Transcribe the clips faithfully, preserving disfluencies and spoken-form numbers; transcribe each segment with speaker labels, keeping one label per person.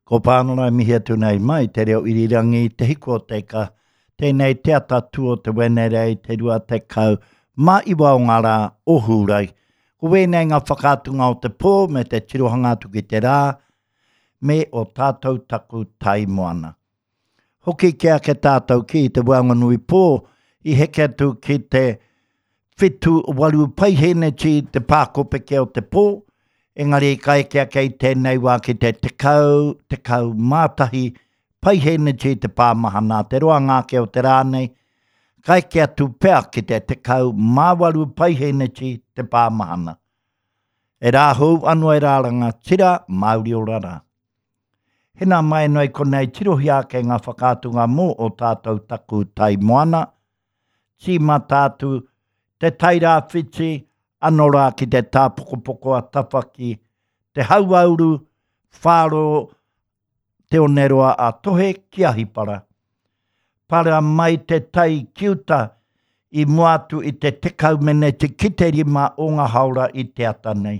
Speaker 1: Ko Pānora e mihi atu nei mai te reo irirangi Te Hiku o Te Ika. Tēnei te atatū o te Wenerei te rua tekau mā iwa o ngā rā o Hūrai. Ko wēnei ngā whakaatunga o te pō me te tirohanga atu ki te rā me o tātou taku tai moana. Hoki ke ake tātou ki te Wanganui pō i heke atu ki te whitu waru paiheneti te pākopeke o te pō, engari ka eke ake i tēnei wā ki te tekau, tekau mātahi paiheneti te pāmahana te roanga ake o te rā nei, ka eke atu pea ki te tekau māwaru paiheneti te pāmahana. E rā hou ano e rāranga tira Māori ora rā. Hena mai noi konei tirohia ake ngā whakaatunga mō o tātou taku tai moana, tīmata atu te Tairāwhiti, ano rā ki te tāpokopoko a Tawhaki, te Hauauru, Whāro, Te Oneroa a Tohe ki Ahipara. Para mai te tai ki uta i mua atu i te tekau meneti ki te rima o ngā haora i te ata nei.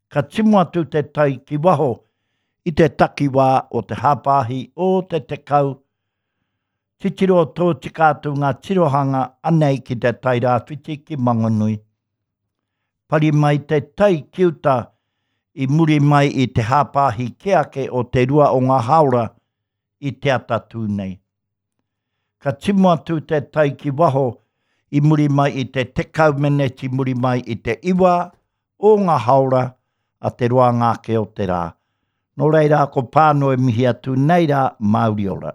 Speaker 1: Ka timo atu te tai ki waho i te takiwā o te hāpāhi o te tekau. Titiro tōtika atu ngā tirohanga anei ki te Tairāwhiti ki Mangonui. Pari mai te tai ki uta i muri mai i te hāpāhi ke ake o te rua o ngā haora i te atatū nei. Ka timo atu te tai ki waho i muri mai i te tekau meneti muri mai i te iwa o ngā haora a te roanga ake o te rā. Nō reira ko Pāno e mihi atu nei rā Māori ora.